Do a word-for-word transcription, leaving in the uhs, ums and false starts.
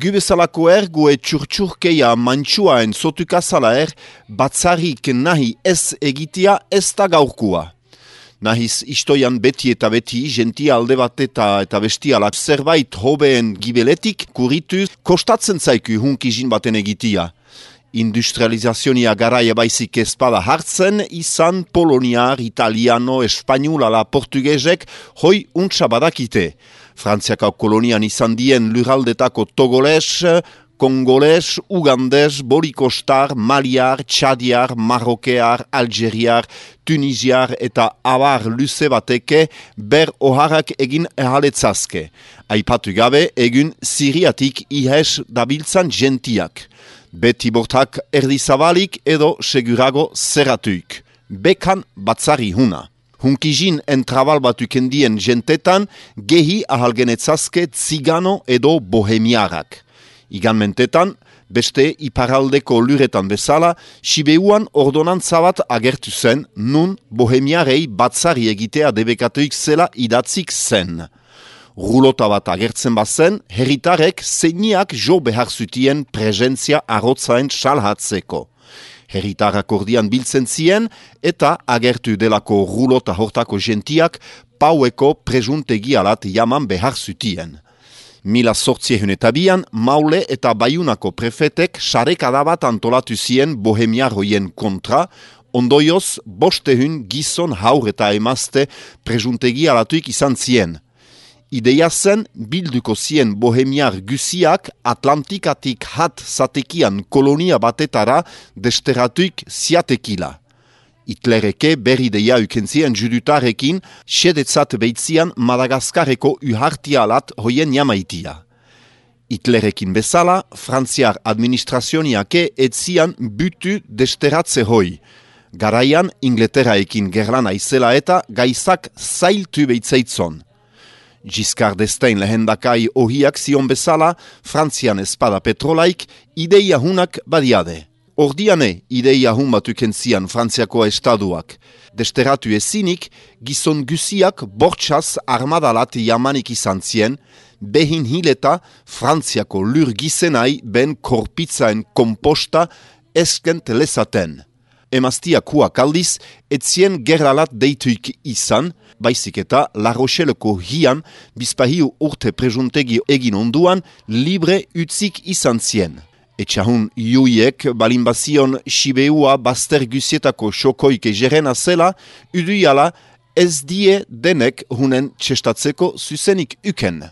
Gubezalako er, gue txurtxurkeia mantxuaen zotukazala er, batzarik nahi ez egitea ez da gaurkua. Nahiz istoian beti eta beti, gentia alde bat eta, eta bestialak zerbait hobeen gibeletik kurituz kostatzen zaiku hunkizin baten egitea. Industrializazionia garaia baizik ezpada hartzen, izan poloniar, italiano, espainul ala portugesek hoi untsa badakite. Frantziako kolonian izan dien lurraldetako togoles, kongoles, ugandes, borikostar, maliar, txadiar, marrokear, algeriar, tunisiar eta abar luze bateke ber oharrak egin ehaletzazke. Aipatu gabe egun Siriatik ihes dabiltzan gentiak. Beti bortak erdizabalik edo segurago zerratuik. Bekan batzari huna. Hunkizin entrabal batukendien gentetan gehi ahalgenetzazke zigano edo bohemiarak. Igan mentetan, beste iparaldeko luretan bezala, Sibeuan ordonantza bat agertu zen, nun bohemiarei batzari egitea debekatuik zela idatzik zen. Rulota bat agertzen bazen, herritarek zeiniak jo behar zutien presentzia arrotzaen salhatzeko. Herritarrak ordian biltzen zien eta agertu delako rulota hortako gentiak paueko prejuntegi alat jaman behar zutien. Mila sortziehun eta bian, Maule eta Baiunako prefetek sarekada bat antolatu zien bohemiarroien kontra, ondoioz bostehun gizon haur eta emazte prejuntegi alatuik izan zien. Ideia zen bilduko zien bohemiar guziak Atlantikatik hat zatekian kolonia batetara desteratuik ziatekila. Hitlereke berri deia ukentzien judutarekin, sedetzat beitzian Madagaskareko uhartialat hoien jamaitia. Hitlerekin bezala, Frantziar administrazioniake etzian butu desteratze hoi. Garaian, Ingleteraekin gerlana izela eta gaizak zailtu beitzaitzon. Giscard d'Estaing lehendakai ohiak zion bezala, Frantzian espada petrolaik, ideia hunak badiade. Ordiane ideia hun batukentzian Frantziako estaduak. Desteratu ezinik, gizon guziak bortxaz armadalat jamanik izan zien, behin hileta Frantziako lur gizenai ben korpitzaen komposta eskent lezaten. Emaztiak aldiz, etzien gerralat deituik izan, baizik eta La Rocheleko hian, bizpahiu urte prejuntegi egin onduan, libre utzik izan zien. Etxahun iuiek balinbazion Sibeua bazter guzietako xokoike jerena zela, uduiala ez die denek hunen txestatzeko zuzenik uken.